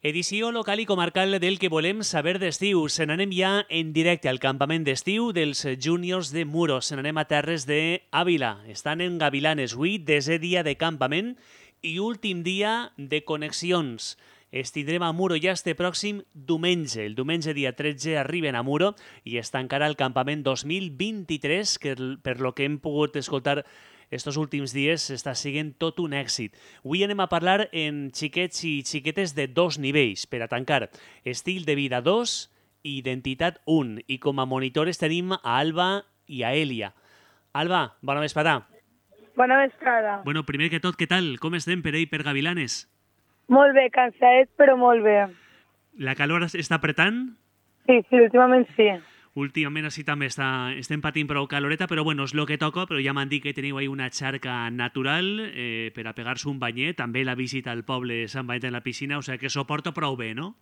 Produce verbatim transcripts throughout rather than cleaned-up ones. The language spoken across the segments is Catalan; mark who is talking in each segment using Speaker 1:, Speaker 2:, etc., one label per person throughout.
Speaker 1: Edició local i comarcal del que volem saber d'estiu. Se n'anem ja en directe al campament d'estiu dels júniors de Muro. Se n'anem a terres d'Àvila. Estan en Gavilanes. Avui, desè dia de campament i últim dia de connexions. Es tindrem a Muro ja este pròxim diumenge. El diumenge dia tretze arriben a Muro i es tancarà el campament dos mil vint-i-tres, que per lo que hem pogut escoltar estos últims dies està sent tot un èxit. Avui anem a parlar en xiquets i xiquetes de dos nivells per a tancar. Estil de vida dos i identitat un. I com a monitores tenim a Alba i a Èlia. Alba, bona vesprada.
Speaker 2: Bona vesprada.
Speaker 1: Bueno, primer que tot, què tal? Com estem per ahí, per Gavilanes?
Speaker 2: Molt bé, cansadet, però molt bé.
Speaker 1: La calor està apretant?
Speaker 2: Sí, sí, últimament sí.
Speaker 1: Últimament així també està, estem patint prou caloreta, però bueno, és el que toca, però ja m'han dit que teniu ahí una xarca natural eh, per a pegar-se un banyet, també la visita al poble Sant Benet en la piscina, o sigui que s'ho porta prou bé, no?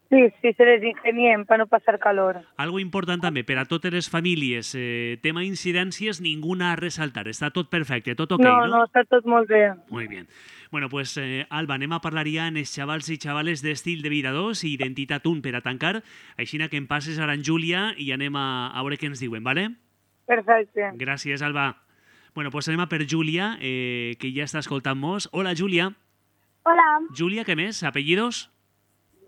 Speaker 2: Sí, sí, se les ingeniem per no passar calor.
Speaker 1: Algo important també, per a totes les famílies, eh, tema incidències, ninguna a resaltar, està tot perfecte, tot ok,
Speaker 2: no?
Speaker 1: No,
Speaker 2: no, està tot molt bé.
Speaker 1: Muy bien. Bueno, pues, eh, Alba, anem a parlar ja en els xavals i xavales d'estil de vida dos i identitat un per a tancar, així que em passes ara en Júlia i anem a, a veure què ens diuen, ¿vale?
Speaker 2: Perfecte.
Speaker 1: Gràcies, Alba. Bueno, pues anem a per Júlia, eh, que ja està escoltant-nos. Hola, Júlia.
Speaker 3: Hola,
Speaker 1: Júlia, què més? Apellidos?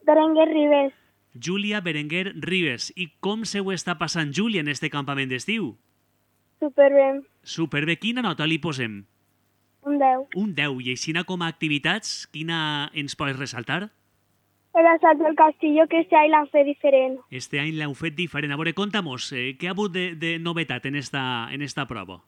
Speaker 3: Berenguer Ribes.
Speaker 1: Júlia Berenguer Ribes. I com se ho està passant, Júlia, en este campament d'estiu?
Speaker 3: Superbé.
Speaker 1: Superbé. Quina nota li posem?
Speaker 3: Un deu.
Speaker 1: Un deu. I així com a activitats, quina ens pots resaltar?
Speaker 3: El assalt del castillo, que este any l'han fet diferent.
Speaker 1: Este any l'heu fet diferent. A veure, conta'mos, eh, què ha hagut de, de novetat en esta, en esta prova?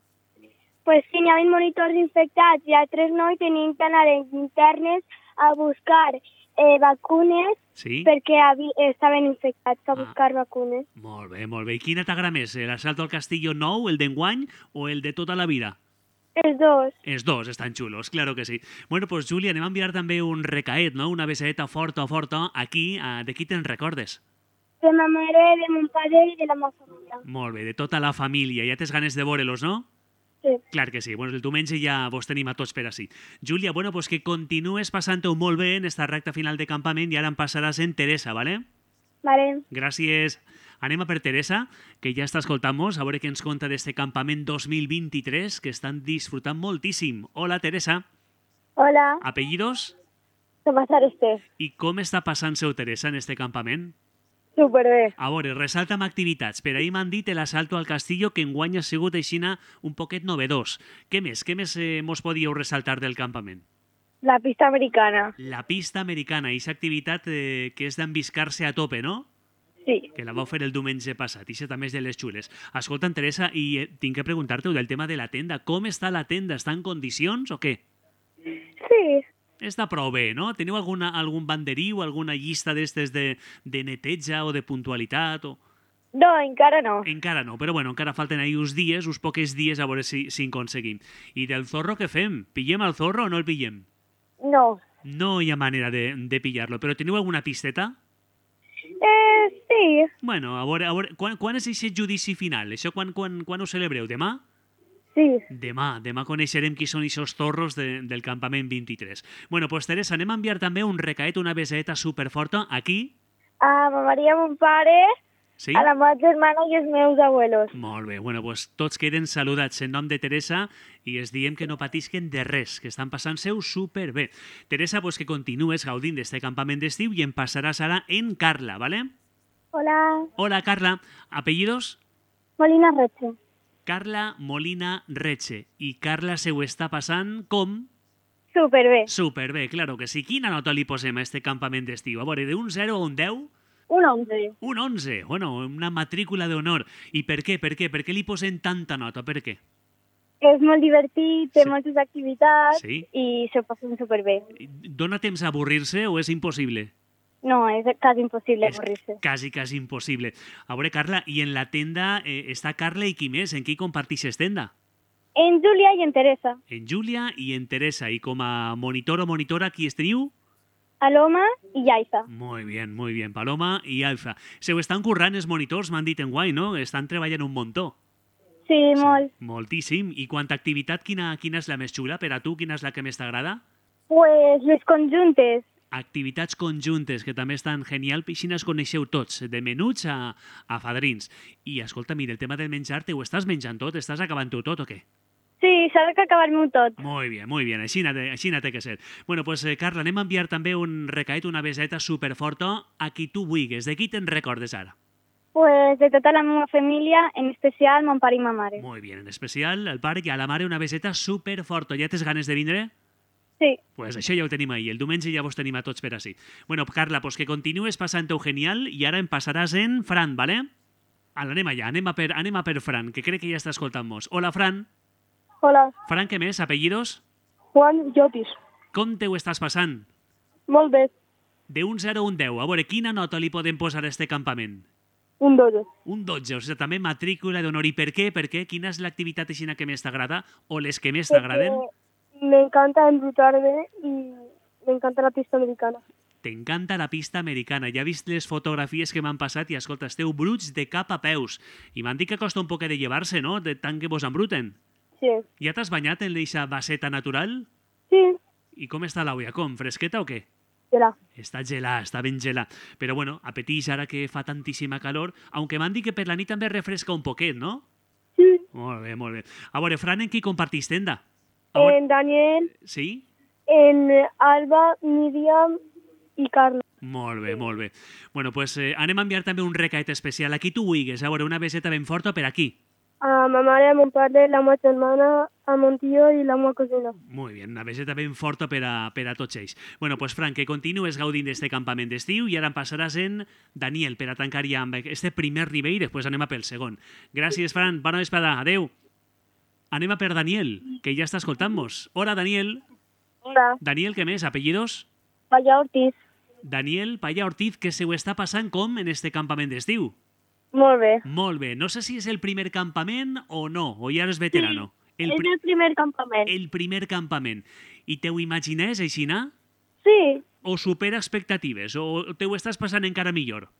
Speaker 3: Pues sí, n'hi havia monitors infectats i altres no, i tenien que anar en internes a buscar eh, vacunes
Speaker 1: Sí?
Speaker 3: perquè havi, estaven infectats a
Speaker 1: Ah.
Speaker 3: buscar vacunes.
Speaker 1: Molt bé, molt bé. I quina t'agrada més? L'assalto al castillo nou, el d'enguany o el de tota la vida?
Speaker 3: Els dos.
Speaker 1: Els dos estan xulos, claro que sí. Bueno, pues, Júlia, anem a enviar també un recaet, no? Una besadeta forta, forta, aquí. Uh, de qui te'n recordes?
Speaker 3: De ma mare, de mon pare i de la meva família.
Speaker 1: Molt bé, de tota la família. Ja tens ganes de veure-los, no?
Speaker 3: Sí.
Speaker 1: Clar que sí. Bueno, el diumenge ja vos tenim a tots per ací. Júlia, bueno, pues que continues passant-ho molt bé en esta recta final de campament i ara em passaràs en Teresa, ¿vale?
Speaker 3: Vale.
Speaker 1: Gràcies. Anem a per Teresa, que ja està escoltant-nos, a veure què ens conta d'este campament dos mil vint-i-tres, que estan disfrutant moltíssim. Hola, Teresa.
Speaker 3: Hola,
Speaker 1: Apellidos?
Speaker 3: Tomàs Arestés.
Speaker 1: I com està passant-se Teresa en este campament?
Speaker 3: Superbé.
Speaker 1: A veure, resalta'm activitats. Per ahir m'han dit l'assalto al castillo, que enguany ha sigut aixina un poquet novedós. Què més? Què més eh, mos podíeu resaltar del campament?
Speaker 3: La pista americana.
Speaker 1: La pista americana, aquesta activitat eh, que és d'enviscar-se a tope, no?
Speaker 3: Sí.
Speaker 1: Que la vau fer el diumenge passat, i també és de les xules. Escolta, Teresa, i eh, tinc que preguntar-te del tema de la tenda. Com està la tenda? Està en condicions o què?
Speaker 3: Sí.
Speaker 1: Està prou bé, no? Teniu alguna, algun banderí o alguna llista d'estes de, de neteja o de puntualitat? O...
Speaker 3: No, encara no.
Speaker 1: Encara no, però bueno, encara falten ahí uns dies, uns poques dies, a veure si, si en aconseguim. I del zorro què fem? Pillem el zorro o no el pillem?
Speaker 3: No.
Speaker 1: No hi ha manera de, de pillar-lo, però teniu alguna pisteta?
Speaker 3: Eh, sí.
Speaker 1: Bueno, a veure, a veure quan, quan és aquest judici final? Això quan, quan, quan ho celebreu? Demà?
Speaker 3: Sí.
Speaker 1: Demà, demà coneixerem qui són aquests torros de, del campament vint-i-tres. Bueno, pues Teresa, anem a enviar també un recaet, una besadeta superforta, aquí.
Speaker 3: A ma Maria, mon pare,
Speaker 1: Sí?
Speaker 3: a la meva germana i els meus abuelos.
Speaker 1: Molt bé, bueno, pues tots queden saludats en nom de Teresa i es diem que no patisquen de res, que estan passant-se-ho superbé. Teresa, pues que continues gaudint d'este campament d'estiu i em passaràs ara en Carla, ¿vale?
Speaker 3: Hola.
Speaker 1: Hola, Carla. Apellidos?
Speaker 3: Molina Reche.
Speaker 1: Carla Molina Reche. I Carla se ho està passant com?
Speaker 3: Superbé.
Speaker 1: Superbé, claro que sí. Quina nota li posem a este campament d'estiu? A veure, d'un zero a un deu?
Speaker 3: Un onze.
Speaker 1: Un onze. Bueno, una matrícula d'honor. I per què? Per què? Per què li posem tanta nota? Per què?
Speaker 3: És molt divertit, té
Speaker 1: Sí.
Speaker 3: moltes activitats
Speaker 1: Sí?
Speaker 3: i s'ho passen superbé.
Speaker 1: Dóna temps a avorrir-se o és impossible?
Speaker 3: No, és quasi impossible
Speaker 1: És
Speaker 3: avorrir-se.
Speaker 1: quasi, quasi impossible. A veure, Carla, i en la tenda eh, està Carla i qui més? En qui compartixes tenda?
Speaker 3: En Júlia i en Teresa.
Speaker 1: En Júlia i en Teresa. I com a monitor o monitora, qui esteniu?
Speaker 3: Aloma i Yaiza.
Speaker 1: Muy bien, muy bien. Paloma i Alfa. Se ho estan currant els monitors, m'han dit en guai, no? Estan treballant un muntó.
Speaker 3: Sí,
Speaker 1: Sí,
Speaker 3: molt.
Speaker 1: moltíssim. I quanta activitat, quina, quina és la més xula per a tu? Quina és la que més t'agrada?
Speaker 3: Pues les conjuntes.
Speaker 1: activitats conjuntes que també estan genial, així es coneixeu tots, de menuts a, a fadrins. I escolta, mira, el tema del menjar, te ho estàs menjant tot? Estàs acabant-ho tot o què?
Speaker 3: Sí, s'ha d'acabar-m'ho tot.
Speaker 1: Muy bien, muy bien, així n'ha de, així n'ha de que ser. Bueno, pues, eh, Carla, anem a enviar també un recaet, una beseta superforta a qui tu vulguis. De qui te'n recordes ara?
Speaker 3: Pues de tota la meva família, en especial mon pare i ma mare.
Speaker 1: Muy bien, en especial al pare i a la mare una beseta superforta. Ja tens ganes de vindre?
Speaker 3: Sí.
Speaker 1: Pues això ja ho tenim ahir. El diumenge ja vos tenim a tots per així. Bueno, Carla, pues que continues passant-ho genial i ara em passaràs en Fran, ¿vale? Ala, anem allà, anem a per, anem a per Fran, que crec que ja està escoltant-nos. Hola, Fran.
Speaker 3: Hola,
Speaker 1: Fran, què més? Apellidos?
Speaker 3: Juan Llopis.
Speaker 1: Com te ho estàs passant?
Speaker 3: Molt bé,
Speaker 1: De un zero a un deu. A veure, quina nota li podem posar a este campament?
Speaker 3: un dotze.
Speaker 1: Un dotze, o sigui, també matrícula d'honor. I per què? Per què? Quina és l'activitat aixina que més t'agrada? O les que més t'agraden?
Speaker 3: Me encanta embrutar-me i me encanta la pista americana.
Speaker 1: T'encanta la pista americana. Ja he vist les fotografies que m'han passat i, escolta, esteu bruts de cap a peus. I m'han dit que costa un poc de llevar-se, no?, de tant que vos embruten.
Speaker 3: Sí.
Speaker 1: Ja t'has banyat en l'eixa baseta natural?
Speaker 3: Sí,
Speaker 1: I com està l'aigua? Com? Fresqueta o què?
Speaker 3: serà.
Speaker 1: Està gelà, està ben gelà. Però bueno, apeteix ara que fa tantíssima calor, aunque m'han dit que per la nit també refresca un poquet, no?
Speaker 3: Sí.
Speaker 1: Molt bé, molt bé. A veure, Fran, en qui compartís tenda? A veure,
Speaker 3: En Daniel,
Speaker 1: sí?
Speaker 3: en Alba, Míriam i Carla.
Speaker 1: Molt bé, molt bé. Bueno, pues eh, anem a enviar també un recaet especial. Aquí tu vulguis, a veure, una beseta ben forta per aquí.
Speaker 3: A ma mare, a mon pare, la meva germana, a mon tio i la meva cosina.
Speaker 1: Molt bé, una beseta ben forta per a, per a tots ells. Bueno, pues Fran, que continues gaudint d'este campament d'estiu i ara em passaràs en Daniel per a tancar ja amb este primer nivell i després anem a pel segon. Gràcies, Fran. Bona vesprada. Adeu. Anem a per Daniel, que ja està escoltant-nos. Hola, Daniel.
Speaker 3: Hola.
Speaker 1: Daniel, què més? Apellidos?
Speaker 3: Vaya Ortiz.
Speaker 1: Daniel Paya Ortiz, que se ho està passant com en este campament d'estiu?
Speaker 3: Molt bé.
Speaker 1: Molt bé. No sé si és el primer campament o no, o ja eres veterano. El,
Speaker 3: És
Speaker 1: pri
Speaker 3: el primer campament.
Speaker 1: el primer campament. I te ho imagines, aixina?
Speaker 3: Sí,
Speaker 1: O supera expectatives? O te ho estàs passant encara millor?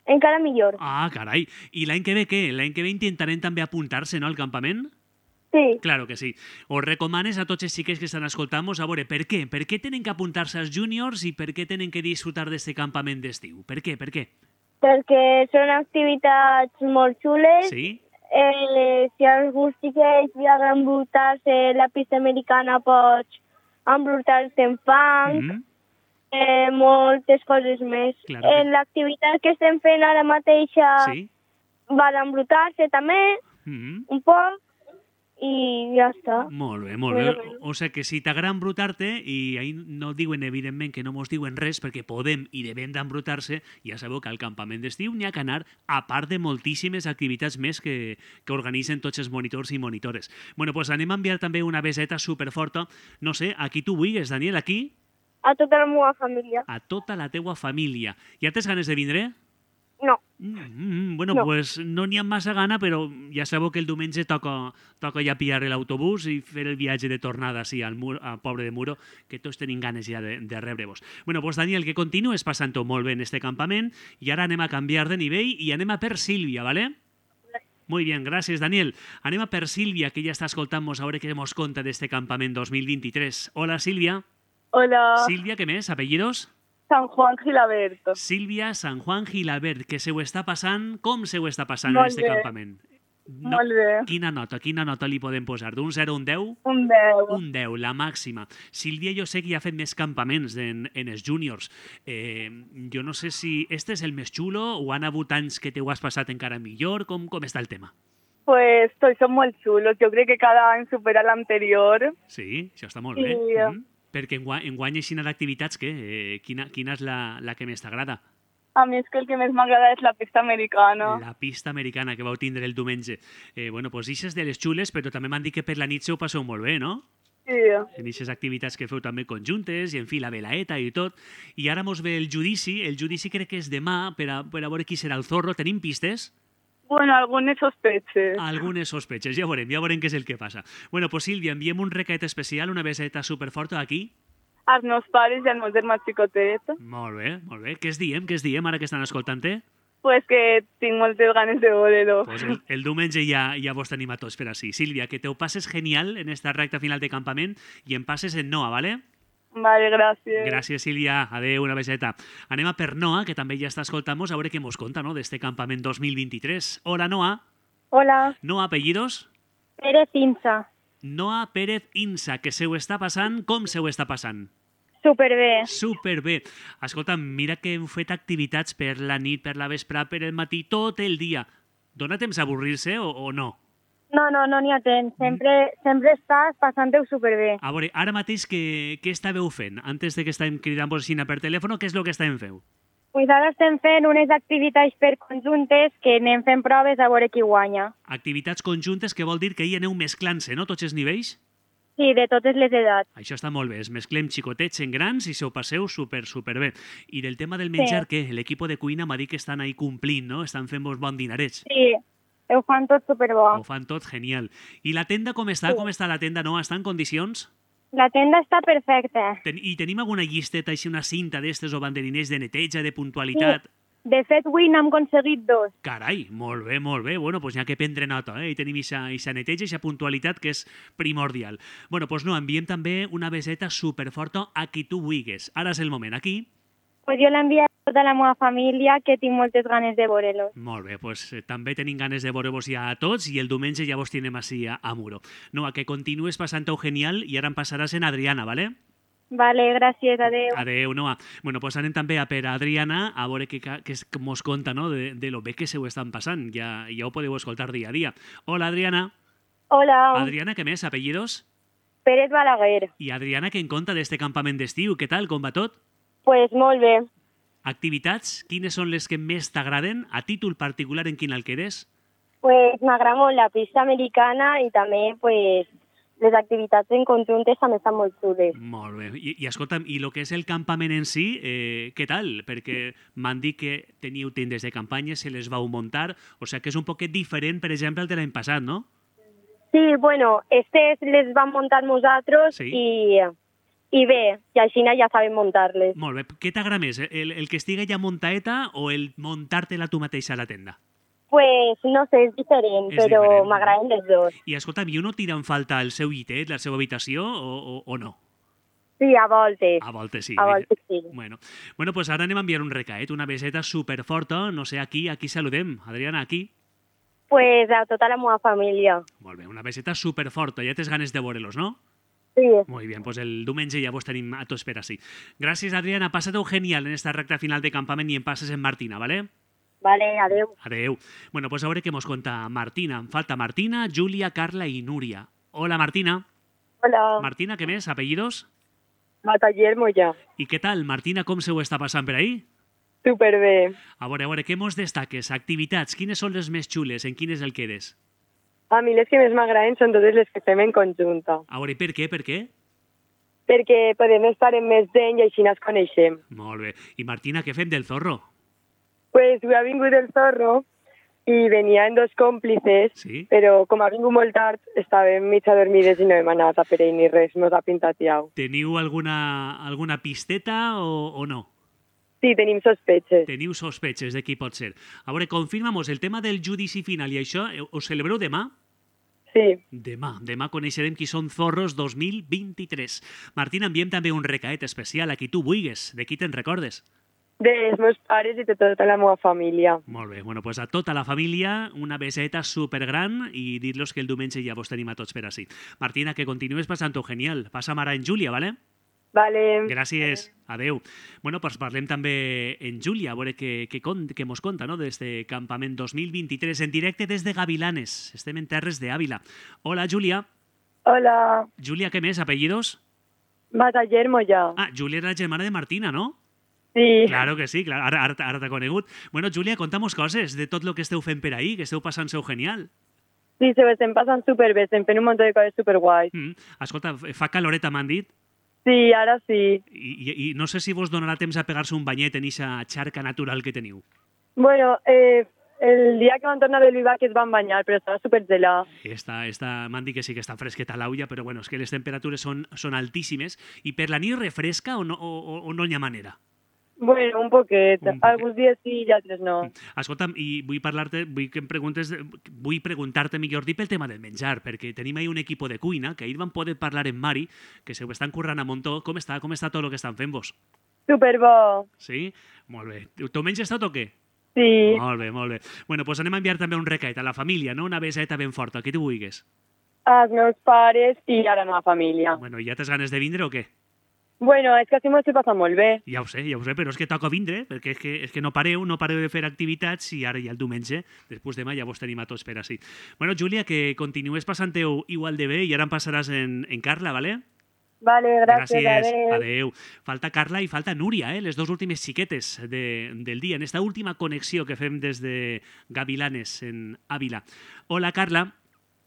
Speaker 3: encara millor.
Speaker 1: Ah, carai. I l'any que ve què? L'any que ve intentarem també apuntar-se, no, al campament?
Speaker 3: Sí,
Speaker 1: Claro que sí. Os recomanes a tots els xiques que estan escoltant-nos a veure per què? Per què tenen que apuntar-se als júniors i per què tenen que disfrutar d'aquest campament d'estiu? Per què? Per què?
Speaker 3: perquè són activitats molt xules.
Speaker 1: Sí?
Speaker 3: Eh, si algú xiquets li agrada embrutar-se la pista americana, pots embrutar-se en fang,
Speaker 1: Mm?
Speaker 3: eh, moltes coses més.
Speaker 1: Claro que-
Speaker 3: En l'activitat que estem fent ara mateixa
Speaker 1: Sí?
Speaker 3: va d'embrutar-se també,
Speaker 1: Mm?
Speaker 3: un poc, i ja està.
Speaker 1: Molt bé, molt bé. O, o sigui que si t'agrada embrutar-te, i ahí no diuen, evidentment, que no mos diuen res, perquè podem i devem d'embrutar-se, ja sabeu que al campament d'estiu n'hi ha que anar, a part de moltíssimes activitats més que, que organitzen tots els monitors i monitores. Bueno, doncs anem a enviar també una beseta superforta, no sé, a qui tu vulguis, Daniel, aquí,
Speaker 3: A tota la meva família.
Speaker 1: a tota la teua família. Ja tens ganes de vindre?
Speaker 3: No.
Speaker 1: Mm, mm, bueno,
Speaker 3: No.
Speaker 1: pues no n'hi ha massa gana, però ja sabeu que el diumenge toca, toca ja pillar l'autobús i fer el viatge de tornada sí, al, mur, al poble de Muro, que tots tenim ganes ja de, de rebre-vos. Bueno, pues Daniel, que continues passant-ho molt bé en este campament i ara anem a canviar de nivell i anem a per Sílvia, ¿vale? Muy bien, gràcies, Daniel. Anem a per Sílvia, que ja està escoltant-nos a veure què mos conta d'este campament dos mil vint-i-tres. Hola, Sílvia.
Speaker 2: Hola,
Speaker 1: Sílvia, què més? Apellidos?
Speaker 2: San Juan Gilaberto.
Speaker 1: Sílvia San Juan Gilabert, que se ho està passant... Com se ho està passant en
Speaker 2: Molt
Speaker 1: este
Speaker 2: bé.
Speaker 1: campament? No,
Speaker 2: Molt bé.
Speaker 1: quina nota, quina nota li podem posar? D'un zero a un deu?
Speaker 2: Un deu.
Speaker 1: Un deu, la màxima. Sílvia, jo sé que ja ha fet més campaments en, en els júniors. Eh, jo no sé si este és el més xulo o han hagut anys que te ho has passat encara millor. Com, com està el tema?
Speaker 2: Pues tots són molt xulos. Jo crec que cada any supera l'anterior.
Speaker 1: Sí, això està molt
Speaker 2: Sí.
Speaker 1: bé. Mm. Perquè enguany, enguany així d'activitats, què? Eh, quina, quina és la, la que més t'agrada?
Speaker 2: A mi és que el que més m'agrada és la pista americana.
Speaker 1: La pista americana que vau tindre el diumenge. Eh, bueno, doncs ixes de les xules, però també m'han dit que per la nit se ho passeu molt bé, no?
Speaker 2: Sí.
Speaker 1: En aquestes activitats que feu també conjuntes i en fi la velaeta i tot. I ara mos ve el judici. El judici crec que és demà per a, per a veure qui serà el zorro. Tenim pistes?
Speaker 2: Bueno, algunes sospeches.
Speaker 1: Algunes sospeches. Ja veurem, ja veurem què és el que passa. Bueno, pues Sílvia, enviem un recaet especial, una beseta superforta aquí.
Speaker 2: Els meus pares i el meu germà xicotet.
Speaker 1: Molt bé, molt bé. Què es diem? Què es diem ara que estan escoltant-te?
Speaker 2: Pues que tinc moltes ganes de veure-lo.
Speaker 1: Pues el, el diumenge ja, ja vos tenim a tots per així. Sílvia, que te ho passes genial en esta recta final de campament i em passes en Noa, ¿vale?
Speaker 2: Vale, gràcies.
Speaker 1: Gràcies, Sílvia. Adéu, una beseta. Anem a per Noa, que també ja està escoltant-nos, a veure què mos conta, no?, d'este campament dos mil vint-i-tres. Hola, Noa.
Speaker 3: Hola,
Speaker 1: Noa, apellidos?
Speaker 3: Pérez Insa.
Speaker 1: Noa Pérez Insa, que se ho està passant, com se ho està passant?
Speaker 3: Superbé.
Speaker 1: Superbé. Escolta, mira que heu fet activitats per la nit, per la vesprà, per el matí, tot el dia. Dóna temps a avorrir-se o, o no?
Speaker 3: No, no, no n'hi ha temps. Sempre, sempre estàs passant-ho superbé.
Speaker 1: A veure, ara mateix què, què estàveu fent? Antes de que estàvem cridant-vos així per telèfon, què és el que estàvem fent?
Speaker 3: Pues ara estem fent unes activitats per conjuntes que anem fent proves a veure qui guanya.
Speaker 1: Activitats conjuntes que vol dir que hi aneu mesclant-se, no?, tots els nivells?
Speaker 3: Sí, de totes les edats.
Speaker 1: Això està molt bé, es mesclem xicotets en grans i se ho passeu super, super bé. I del tema del menjar,
Speaker 3: Sí.
Speaker 1: què? L'equip de cuina m'ha dit que estan ahí complint, no? Estan fent-vos bon dinarets.
Speaker 3: Sí, ho fan tot superbo.
Speaker 1: Ho fan tot genial. I la tenda com està?
Speaker 3: Sí.
Speaker 1: Com està la tenda, no? Està en condicions?
Speaker 3: La tenda està perfecta.
Speaker 1: Ten I tenim alguna llisteta, així una cinta d'estes o banderiners de neteja, de puntualitat?
Speaker 3: Sí. De fet, avui n'hem aconseguit dos.
Speaker 1: Carai, molt bé, molt bé. Bueno, doncs n'hi ha que prendre nota, eh? I tenim aquesta neteja, aquesta puntualitat que és primordial. Bueno, doncs no, enviem també una beseta superforta a qui tu vulguis. Ara és el moment, aquí.
Speaker 3: Pues jo l'envio a tota la meva família, que tinc moltes ganes de veure-los.
Speaker 1: Molt bé, doncs eh, també tenim ganes de veure-vos ja a tots i el diumenge ja vos tindrem així a, a Muro. No, a que continues passant-ho genial i ara em passaràs en Adriana, ¿vale?
Speaker 3: Vale, gràcies, adeu.
Speaker 1: Adeu, Noa. Bueno, doncs anem també a per Adriana a veure què, què és que mos conta, no?, de, de lo bé que se ho estan passant. Ja, ja ho podeu escoltar dia a dia. Hola, Adriana.
Speaker 3: Hola,
Speaker 1: Adriana, què més? Apellidos?
Speaker 3: Pérez Balaguer.
Speaker 1: I Adriana, què en conta d'este campament d'estiu? Què tal? Com va tot?
Speaker 3: Pues molt bé.
Speaker 1: Activitats? Quines són les que més t'agraden? A títol particular, en quin el quedes?
Speaker 3: Pues m'agrada molt la pista americana i també pues, les activitats en conjuntes també estan molt xules.
Speaker 1: Molt bé. I, i escolta'm, i el que és el campament en si, eh, què tal? Perquè m'han dit que teníeu tendes de campanya, se les vau muntar, o sigui que és un poquet diferent, per exemple, el de l'any passat, no?
Speaker 3: Sí, bueno, estes les vam muntar nosaltres
Speaker 1: Sí.
Speaker 3: i, i bé, i així ja sabem muntar-les.
Speaker 1: Molt bé. Què t'agrada més? El, el que estigui ja muntaeta o el muntar-te-la tu mateixa a la tenda?
Speaker 3: Pues no sé, és diferent,
Speaker 1: És
Speaker 3: però
Speaker 1: diferent.
Speaker 3: m'agraden les dos.
Speaker 1: I escolta'm, i uno tira en falta el seu llitet, la seva habitació, o, o, o no?
Speaker 3: Sí, a voltes.
Speaker 1: A voltes sí.
Speaker 3: A voltes sí.
Speaker 1: Bueno, bueno pues ara anem a enviar un recaet, una beseta superforta, no sé, aquí, aquí saludem. Adriana, aquí.
Speaker 3: Pues a tota la meva família.
Speaker 1: Molt bé, una beseta superforta, ja tens ganes de veure-los, no?
Speaker 3: Sí.
Speaker 1: Muy bien, pues el diumenge ja vos tenim a tots per així. Gràcies, Adriana, passa-t'ho genial en esta recta final de campament i en passes en Martina, ¿vale?
Speaker 3: Vale, adeu.
Speaker 1: Adeu. Bueno, pues a veure què mos conta Martina. Em falta Martina, Júlia, Carla i Núria. Hola, Martina.
Speaker 2: Hola,
Speaker 1: Martina, què més? Apellidos?
Speaker 2: Bataller Mollà.
Speaker 1: I què tal, Martina, com se ho està passant per ahí?
Speaker 2: Superbé.
Speaker 1: A veure, a veure, què mos destaques? Activitats, quines són les més xules? En quines el quedes?
Speaker 2: A mi les que més m'agraden són totes les que fem en conjunta,
Speaker 1: A veure, per què, per què?
Speaker 2: perquè podem estar en més gent i així ens coneixem.
Speaker 1: Molt bé. I Martina, què fem del zorro?
Speaker 2: Pues avui ha vingut el zorro i venien dos còmplices,
Speaker 1: Sí?
Speaker 2: però com ha vingut molt tard, estàvem mig adormides i no hem anat a per ell ni res, no s'ha pintat iau.
Speaker 1: Teniu alguna, alguna pisteta o, o no?
Speaker 2: Sí, tenim sospeches.
Speaker 1: Teniu sospetxes de qui pot ser. A veure, confirma'm-nos, el tema del judici final i això, eh, ho celebreu demà?
Speaker 2: Sí,
Speaker 1: Demà. Demà coneixerem qui són Zorros dos mil vint-i-tres. Martina, enviem també un recaet especial a qui tu vulguis. De qui te'n recordes?
Speaker 2: dels meus pares i de tota la meva família.
Speaker 1: Molt bé. Bueno, pues a tota la família, una beseta supergran i dir-los que el diumenge ja vos tenim a tots per així. Martina, que continues passant-ho genial. Passa ara en Júlia, ¿vale?
Speaker 2: Vale.
Speaker 1: Gràcies. Adeu. Bueno, pues parlem també en Júlia, a veure què, què, con, què mos conta, no?, d'este campament dos mil vint-i-tres en directe des de Gavilanes. Estem en terres d'Àvila. Hola, Júlia.
Speaker 2: Hola,
Speaker 1: Júlia, què més? Apellidos?
Speaker 2: Bataller Mollà.
Speaker 1: Ah, Júlia era la germana de Martina, ¿no?
Speaker 2: Sí,
Speaker 1: Claro que sí, claro. Ara, ara, ara t'ha conegut. Bueno, Júlia, contamos coses de tot el que esteu fent per ahí, que esteu passant-se-ho genial.
Speaker 2: sí, se ho estem passant superbé, estem fent un munt de coses superguais.
Speaker 1: Mm. Escolta, fa caloreta, m'han dit,
Speaker 2: Sí, ara sí.
Speaker 1: i, i, i no sé si vos donarà temps a pegar-se un banyet en eixa xarca natural que teniu.
Speaker 2: Bueno, eh, el dia que van tornar del Vivac es van banyar, però estava supergelat.
Speaker 1: Està, està, m'han dit que sí que està fresqueta l'aulla, però bueno, és que les temperatures són, són altíssimes. I per la nit refresca o no, o, o, o no hi ha manera?
Speaker 2: Bueno, un poquet.
Speaker 1: Un poquet.
Speaker 2: Alguns dies sí i altres no.
Speaker 1: Escolta'm, i vull parlar-te, vull que em preguntes, vull preguntar-te millor dir pel tema del menjar, perquè tenim ahir un equip de cuina, que ahir vam poder parlar amb Mari, que se ho estan currant a muntó. Com està? Com està tot el que estan fent vos?
Speaker 2: Superbo.
Speaker 1: Sí? Molt bé. Tu menges tot o què?
Speaker 2: Sí.
Speaker 1: Molt bé, molt bé. Bueno, doncs anem a enviar també un recaet a la família, no? Una beseta ben forta, qui tu vulguis.
Speaker 2: Els meus pares i a la meva família.
Speaker 1: Bueno, ja tens ganes de vindre o què?
Speaker 2: Bueno, és que així m'ho estic passant molt bé.
Speaker 1: Ja ho sé, ja ho sé, però és que toca vindre, perquè és que, és que no pareu, no pareu de fer activitats i ara ja el diumenge, després demà ja vos tenim a tots per ací. Bueno, Júlia, que continues passant-ho igual de bé i ara em passaràs en, en Carla, ¿vale?
Speaker 2: Vale, gràcies,
Speaker 1: Gràcies,
Speaker 2: adéu.
Speaker 1: adéu. Falta Carla i falta Núria, eh? Les dues últimes xiquetes de, del dia, en esta última connexió que fem des de Gavilanes, en Ávila. Hola, Carla.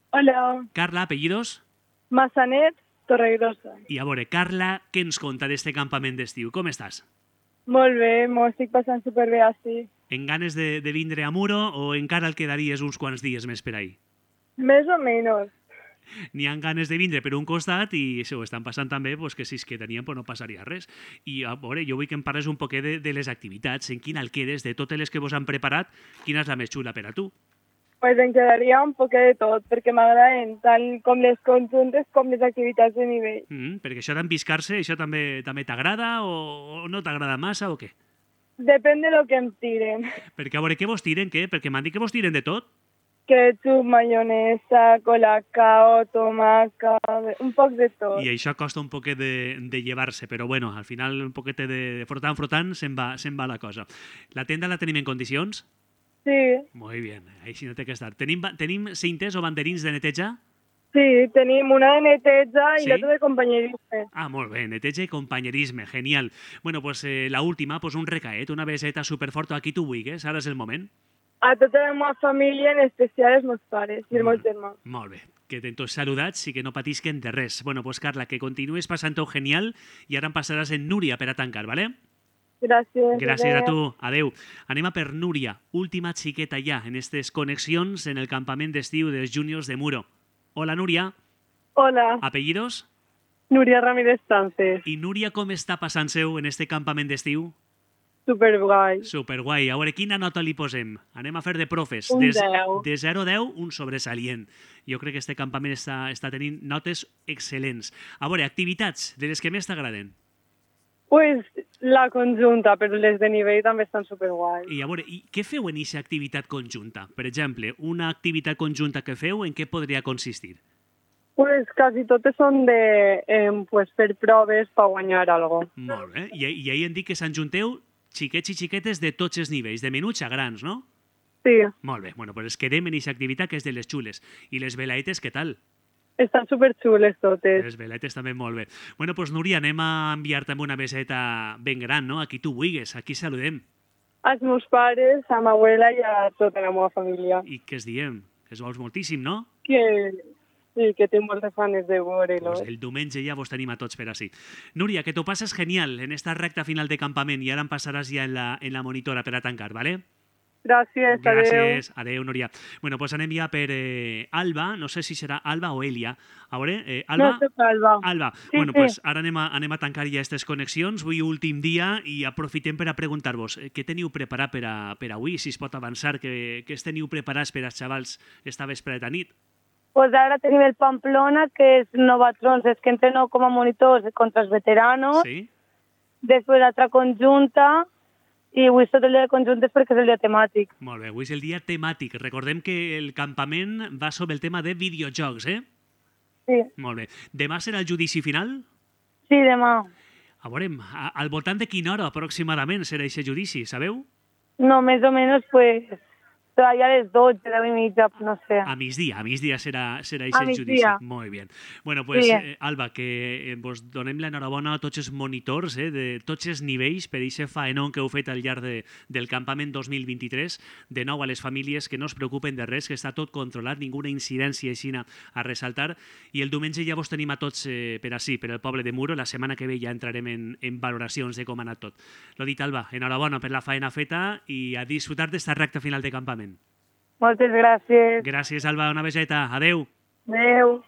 Speaker 2: Hola,
Speaker 1: Carla, apellidos?
Speaker 2: Massanet, Torregrossa.
Speaker 1: I a veure, Carla, què ens conta d'este campament d'estiu? Com estàs?
Speaker 2: Molt bé, m'ho estic passant superbé així.
Speaker 1: En ganes de, de vindre a Muro o encara el quedaries uns quants dies més per ahí?
Speaker 2: Més o menys.
Speaker 1: N'hi ha ganes de vindre per un costat i això ho estan passant també, pues, que si es quedarien pues, no passaria res. I a veure, jo vull que em parles un poquet de, de les activitats, en quina el quedes, de totes les que vos han preparat, quina és la més xula per a tu?
Speaker 2: Pues em quedaria un poquet de tot, perquè m'agraden tant com les conjuntes com les activitats de nivell.
Speaker 1: Mm, perquè això d'embiscar-se, això també també t'agrada o, o no t'agrada massa o què?
Speaker 2: Depèn de lo que em tiren.
Speaker 1: Perquè a veure, què vos tiren, què? Perquè m'han dit que vos tiren de tot.
Speaker 2: Ketchup, mayonesa, colacao, tomaca, un poc de tot.
Speaker 1: I això costa un poquet de, de llevar-se, però bueno, al final un poquet de frotant, frotant, se'n va, se'n va la cosa. La tenda la tenim en condicions?
Speaker 2: Sí,
Speaker 1: Molt bé, així no té que estar. Tenim, ba- tenim cintes o banderins de neteja?
Speaker 2: sí, tenim una de neteja i
Speaker 1: Sí?
Speaker 2: l'altra de companyerisme.
Speaker 1: Ah, molt bé, neteja i companyerisme, genial. Bueno, pues eh, la última, pues un recaet, una beseta superforta a qui tu vulguis, ara és el moment.
Speaker 2: A tota la meva família, en especial els meus pares i el meu
Speaker 1: Molt,
Speaker 2: germà.
Speaker 1: molt bé, que ten tots saludats i que no patisquen de res. Bueno, pues Carla, que continues passant-ho genial i ara em passaràs en Núria per a tancar, ¿vale?
Speaker 2: Gràcies.
Speaker 1: Gràcies a
Speaker 2: adéu.
Speaker 1: tu, adeu. Anem a per Núria, última xiqueta ja en aquestes connexions en el campament d'estiu dels Juniors de Muro. Hola, Núria.
Speaker 2: Hola,
Speaker 1: Apellidos?
Speaker 2: Núria Ramírez Sánchez.
Speaker 1: I Núria, com està passant-seu en este campament d'estiu?
Speaker 2: Superguai.
Speaker 1: Superguai. A veure, quina nota li posem? Anem a fer de profes.
Speaker 2: Un
Speaker 1: de,
Speaker 2: deu.
Speaker 1: De zero a deu, un sobresalient. Jo crec que este campament està, està tenint notes excel·lents. A veure, activitats de les que més t'agraden.
Speaker 2: Pues la conjunta, però les de nivell també estan superguai.
Speaker 1: I a veure, i què feu en aquesta activitat conjunta? Per exemple, una activitat conjunta que feu, en què podria consistir?
Speaker 2: Pues quasi totes són de eh, pues, fer proves per guanyar algo.
Speaker 1: Molt bé. I, i ahir hem dit que s'enjunteu xiquets i xiquetes de tots els nivells, de menuts a grans, no?
Speaker 2: Sí,
Speaker 1: Molt bé. Bueno, pues quedem en aquesta activitat que és de les xules. I les velaetes, què tal?
Speaker 2: estan superxules totes.
Speaker 1: Les veletes també molt bé. Bueno, doncs Núria, anem a enviar-te amb una beseta ben gran, no? A qui tu vulguis, aquí saludem.
Speaker 2: Els meus pares, a ma abuela i a tota la meva família.
Speaker 1: I què es diem? Que es vols moltíssim, no?
Speaker 2: Que, sí, que tinc moltes ganes de veure-los.
Speaker 1: Pues el diumenge ja vos tenim a tots per ací. Núria, que t'ho passes genial en esta recta final de campament i ara em passaràs ja en la, en la monitora per a tancar, ¿vale?
Speaker 2: Gràcies, adéu.
Speaker 1: Gràcies. Adéu, Núria. Bueno, doncs anem ja per eh, Alba, no sé si serà Alba o Elia. A veure, eh, Alba?
Speaker 2: No soc Alba.
Speaker 1: Alba.
Speaker 2: Sí,
Speaker 1: bueno,
Speaker 2: sí.
Speaker 1: pues ara anem a, anem a tancar ja aquestes connexions. Avui últim dia i aprofitem per a preguntar-vos eh, què teniu preparat per a, per a avui, si es pot avançar, què, què es teniu preparats per als xavals esta vespre de nit.
Speaker 4: Pues ara tenim el Pamplona, que és Novatrons, és que entreno com a monitors contra els veteranos.
Speaker 1: Sí?
Speaker 4: Després l'altra conjunta, i avui és tot el dia de conjuntes perquè és el dia temàtic.
Speaker 1: Molt bé, avui és el dia temàtic. Recordem que el campament va sobre el tema de videojocs, eh?
Speaker 4: Sí,
Speaker 1: Molt bé. Demà serà el judici final?
Speaker 4: sí, demà.
Speaker 1: A veure, a- al voltant de quina hora aproximadament serà aquest judici, sabeu?
Speaker 4: No, més o menys, pues, serà ja a les dotze, deu i mitja, no sé.
Speaker 1: A migdia, a migdia serà, serà
Speaker 4: A
Speaker 1: aquest judici.
Speaker 4: migdia.
Speaker 1: Molt bé. Bueno, pues,
Speaker 4: Sí.
Speaker 1: eh, Alba, que eh, vos donem l'enhorabona a tots els monitors eh, de tots els nivells per aquest faenón que heu fet al llarg de, del campament dos mil vint-i-tres. De nou a les famílies que no es preocupen de res, que està tot controlat, ninguna incidència així a ressaltar. I el diumenge ja vos tenim a tots eh, per ací, per el poble de Muro. La setmana que ve ja entrarem en, en valoracions de com ha anat tot. Lo dit, Alba, enhorabona per la faena feta i a disfrutar d'esta recta final de campament.
Speaker 4: Moltes gràcies.
Speaker 1: Gràcies, Alba. Una beseta. Adeu.
Speaker 4: Adéu.